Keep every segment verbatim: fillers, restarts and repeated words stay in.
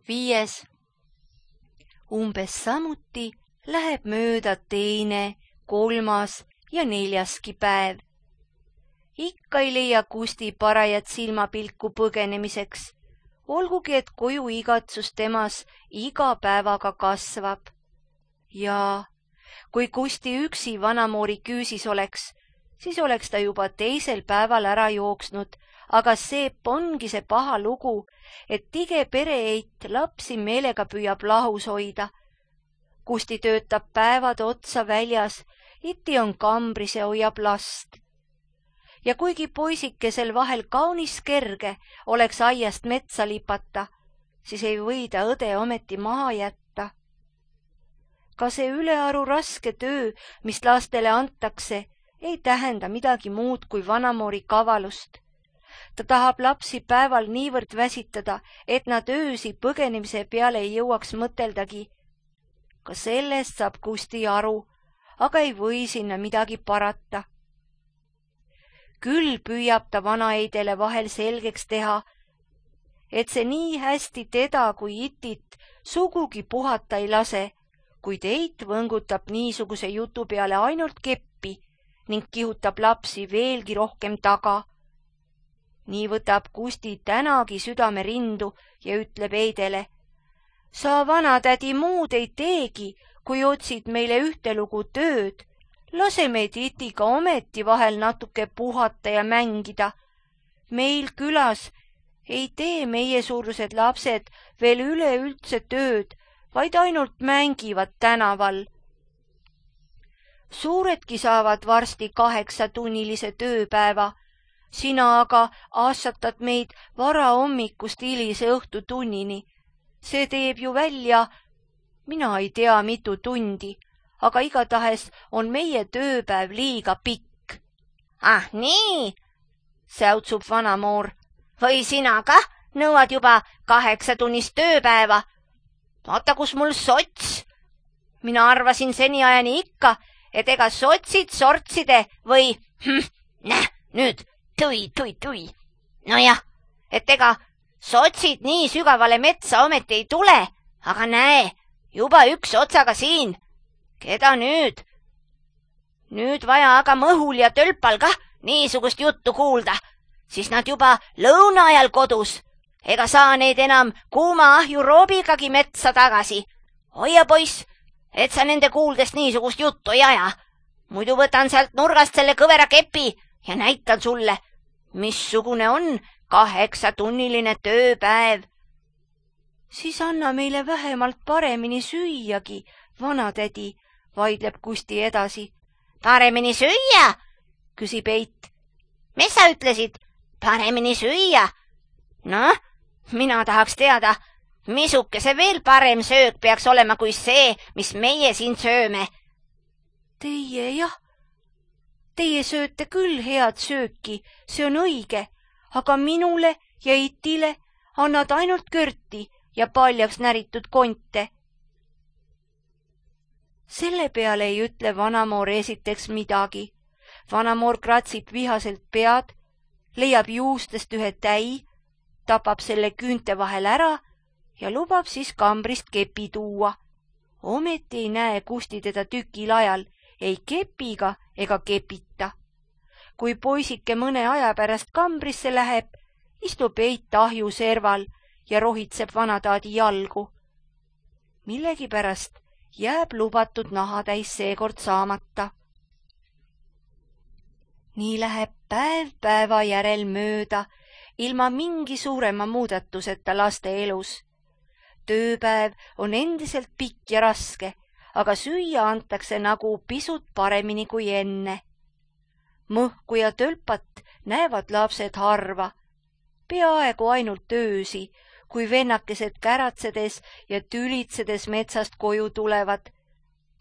Viies. Umbes samuti läheb mööda teine, kolmas ja neljaski päev. Ikka ei leia Kusti parajat silmapilku põgenemiseks, olgugi et koju igatsus temas iga päevaga kasvab. Ja kui Kusti üksi Vanamoori küüsis oleks, siis oleks ta juba teisel päeval ära jooksnud, aga seep ongi see paha lugu, et tige pereeit lapsi meelega püüab lahus hoida. Kusti töötab päevad otsa väljas, iti on kambris ja hoiab last. Ja kuigi poisikesel vahel kaunis kerge oleks aiast metsa lipata, siis ei või ta õde ometi maha jätta. Ka see ülearu raske töö, mis lastele antakse, ei tähenda midagi muud kui Vanamoori kavalust. Ta tahab lapsi päeval niivõrd väsitada, et nad öösi põgenemise peale ei jõuaks mõteldagi. Ka sellest saab Kusti aru, aga ei või sinna midagi parata. Küll püüab ta vanaeidele vahel selgeks teha, et see nii hästi teda kui itit sugugi puhata ei lase, kuid eit võngutab niisuguse jutu peale ainult keppi ning kihutab lapsi veelgi rohkem taga. Nii võtab Kusti tänagi südame rindu ja ütleb eidele: sa vanatädi muud ei teegi, kui otsid meile ühtelugu tööd. Lase meid itiga ometi vahel natuke puhata ja mängida. Meil külas ei tee meiesuurused lapsed veel üleüldse tööd, vaid ainult mängivad tänaval. Suuredki saavad varsti kaheksatunnilise tööpäeva. Sina aga aastatad meid varahommikust hilise õhtutunnini. See teeb ju välja, mina ei tea mitu tundi, aga igatahes on meie tööpäev liiga pikk. Ah nii, säutsub Vanamoor. Või sina kah nõuad juba kaheksatunnist tööpäeva? Vaata, kus mul sots. Mina arvasin seniajani ikka, et ega sotsid sortside või hm, näh, nüüd tui, tui, tui. Nojah, et ega sotsid nii sügavale metsa ometi ei tule, aga näe, juba üks otsaga siin. Keda nüüd? Nüüd vaja aga Mõhul ja Tölpal kah niisugust juttu kuulda, siis nad juba lõuna ajal kodus. Ega saa neid enam kuuma ahju roobigagi metsa tagasi. Hoia poiss, et sa nende kuuldes niisugust juttu ei aja. Muidu võtan sealt nurgast selle kõvera kepi ja näitan sulle, missugune on kaheksatunniline tööpäev. Siis anna meile vähemalt paremini süüagi, vanatädi, vaidleb Kusti edasi. Paremini süüa, küsib eit. Mis sa ütlesid? Paremini süüa? Noh, mina tahaks teada, misuke see veel parem söök peaks olema kui see, mis meie siin sööme. Teie jah, teie sööte küll head sööki, see on õige, aga minule ja itile annad ainult körti ja paljaks näritud konte. Selle peale ei ütle Vanamoor esiteks midagi. Vanamoor kratsib vihaselt pead, leiab juustest ühe täi, tapab selle küünte vahel ära ja lubab siis kambrist kepi tuua. Ometi ei näe Kusti teda tükil ajal, ei kepiga ega kepita. Kui poisike mõne aja pärast kambrisse läheb, istub eit ahju serval ja rohitseb vanataadi jalgu. Millegipärast jääb lubatud nahatäis seekord saamata. Nii läheb päev päeva järel mööda, ilma mingi suurema muudatuseta laste elus. Tööpäev on endiselt pikk ja raske, aga süüa antakse nagu pisut paremini kui enne. Mõhku ja Tölpat näevad lapsed harva, peaaegu ainult öösi, kui vennakesed käratsedes ja tülitsedes metsast koju tulevad.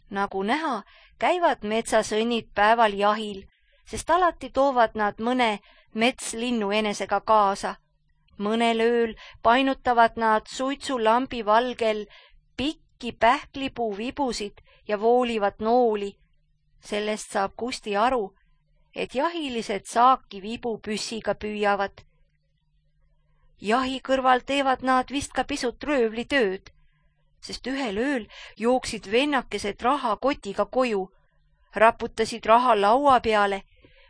Nagu näha, käivad metsasõnnid päeval jahil, sest alati toovad nad mõne metslinnu enesega kaasa. Mõnel ööl painutavad nad suitsulambi valgel pikki pähklipuu vibusid ja voolivad nooli. Sellest saab Kusti aru, et jahilised saaki vibupüssiga püüavad. Jahi kõrval teevad nad vist ka pisut röövlitööd, sest ühel ööl jooksid vennakesed rahakotiga koju, raputasid raha laua peale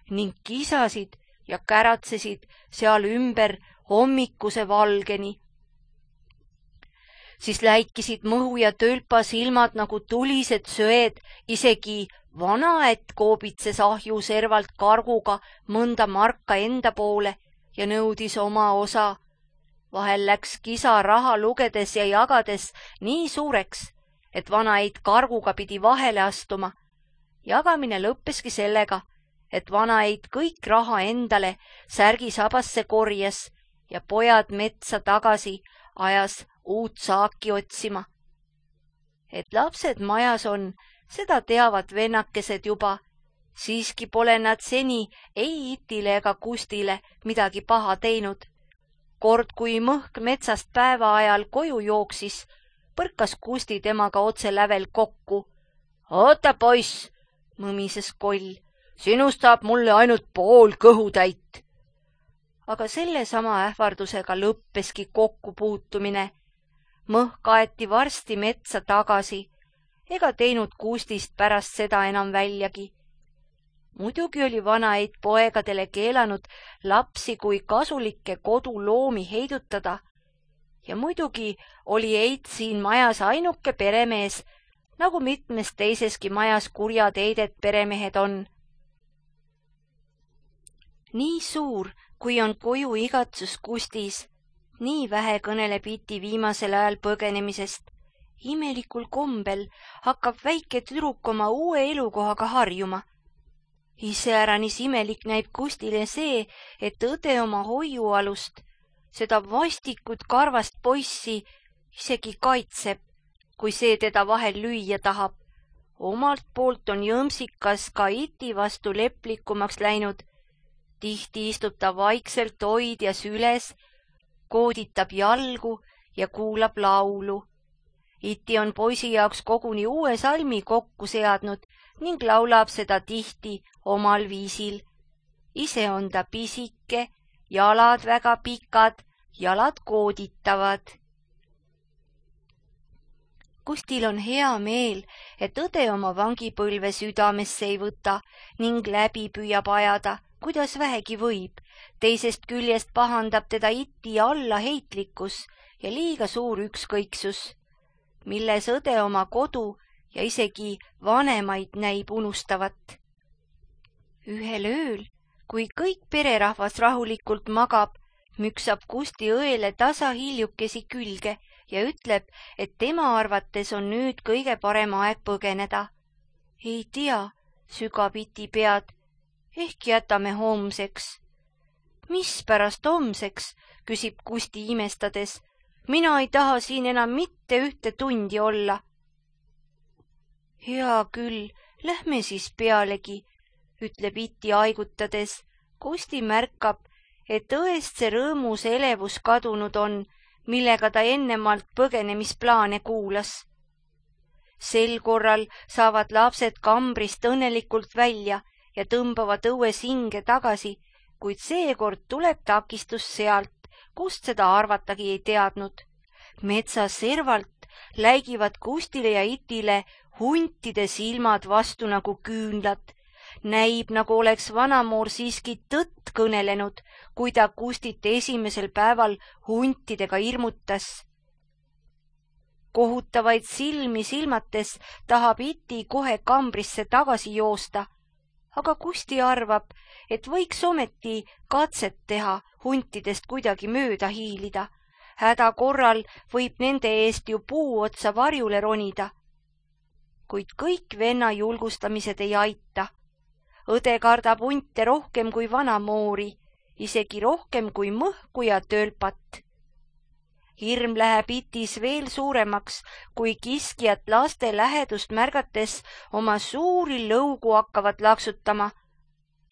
ning kisasid ja käratsesid seal ümber hommikuse valgeni. Siis läikisid mõhu ja tölpa silmad nagu tulised söed, isegi vanaett koobitses ahju servalt karguga mõnda marka enda poole ja nõudis oma osa. Vahel läks kisa raha lugedes ja jagades nii suureks, et vanaeit karguga pidi vahele astuma. Jagamine lõppeski sellega, et vanaeit kõik raha endale särgisabasse korjas ja pojad metsa tagasi ajas uut saaki otsima. Et lapsed majas on, seda teavad vennakesed juba, siiski pole nad seni ei Itile ega Kustile midagi paha teinud. Kord, kui Mõhk metsast päeva ajal koju jooksis, põrkas Kusti temaga otse lävel kokku. Oota, poiss, mõmises Koll, sinust saab mulle ainult pool kõhutäit. Aga sellesama ähvardusega lõppeski kokkupuutumine. Mõhk aeti varsti metsa tagasi, ega teinud Kustist pärast seda enam väljagi. Muidugi oli vanaeit poegadele keelanud lapsi kui kasulikke koduloomi heidutada ja muidugi oli eit siin majas ainuke peremees, nagu mitmes teiseski majas kurjad eidet peremehed on. Nii suur, kui on koju igatsus Kustis, nii vähe kõneleb Iti viimasel ajal põgenemisest. Imelikul kombel hakkab väike tüdruk oma uue elukohaga harjuma. Iseäranis imelik näib Kustile see, et õde oma hoiualust, seda vastikut karvast poissi isegi kaitseb, kui see teda vahel lüüa tahab. Omalt poolt on jõmsikas ka Iti vastu leplikumaks läinud. Tihti istub ta vaikselt hoidjas üles, kooditab jalgu ja kuulab laulu. Iti on poisi jaoks koguni uue salmi kokku seadnud ning laulab seda tihti omal viisil. Ise on ta pisike, jalad väga pikad, jalad kooditavad. Kustil on hea meel, et õde oma vangipõlve südamesse ei võta ning läbi püüab ajada, kuidas vähegi võib. Teisest küljest pahandab teda Iti allaheitlikkus ja liiga suur ükskõiksus, milles õde oma kodu ja isegi vanemaid näib unustavat. Ühel ööl, kui kõik pererahvas rahulikult magab, müksab Kusti õele tasa hiljukesi külge ja ütleb, et tema arvates on nüüd kõige parem aeg põgeneda. Ei tea, sügab Iti pead, ehk jätame homseks. Mispärast homseks, küsib Kusti imestades. Mina ei taha siin enam mitte ühte tundi olla. Hea küll, lähme siis pealegi, ütleb Iti aigutades. Kusti märkab, et õest see rõõmus elevus kadunud on, millega ta ennemalt põgenemisplaane kuulas. Sel korral saavad lapsed kambrist õnnelikult välja ja tõmbavad õues hinge tagasi, kuid seekord tuleb takistus sealt, kust seda arvatagi ei teadnud. Metsa servalt läigivad Kustile ja Itile huntide silmad vastu nagu küünlad. Näib, nagu oleks vanamoor siiski tõtt kõnelenud, kui ta Kustit esimesel päeval huntidega hirmutas. Kohutavaid silmi silmates tahab Iti kohe kambrisse tagasi joosta, aga Kusti arvab, et võiks ometi katset teha huntidest kuidagi mööda hiilida. Häda korral võib nende eest ju puu otsa varjule ronida. Kuid kõik venna julgustamised ei aita. Õde kardab hunte rohkem kui vanamoori, isegi rohkem kui Mõhku ja tölpat. Hirm läheb Itis veel suuremaks, kui kiskjad laste lähedust märgates oma suuri lõugu hakkavad laksutama.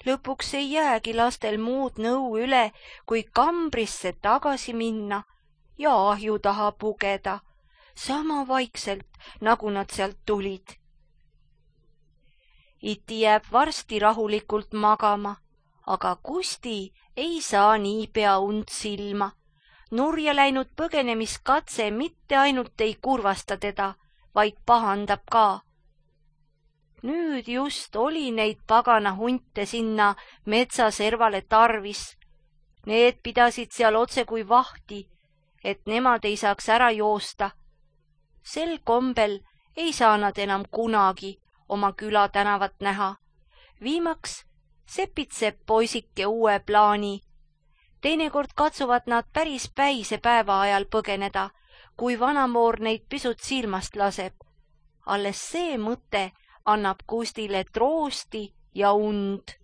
Lõpuks ei jäägi lastel muud nõu üle, kui kambrisse tagasi minna ja ahju taha pugeda, sama vaikselt, nagu nad sealt tulid. Iti jääb varsti rahulikult magama, aga Kusti ei saa niipea und silma. nurja läinud põgenemiskatse mitte ainult ei kurvasta teda, vaid pahandab ka. Nüüd just oli neid pagana hunte sinna metsaservale tarvis. Need pidasid seal otse kui vahti, et nemad ei saaks ära joosta. Sel kombel ei saa nad enam kunagi oma küla tänavat näha. Viimaks sepitseb poisike uue plaani. Teinekord katsuvad nad päris päise päeva ajal põgeneda, kui vanamoor neid pisut silmast laseb. Alles see mõte annab Kustile troosti ja und.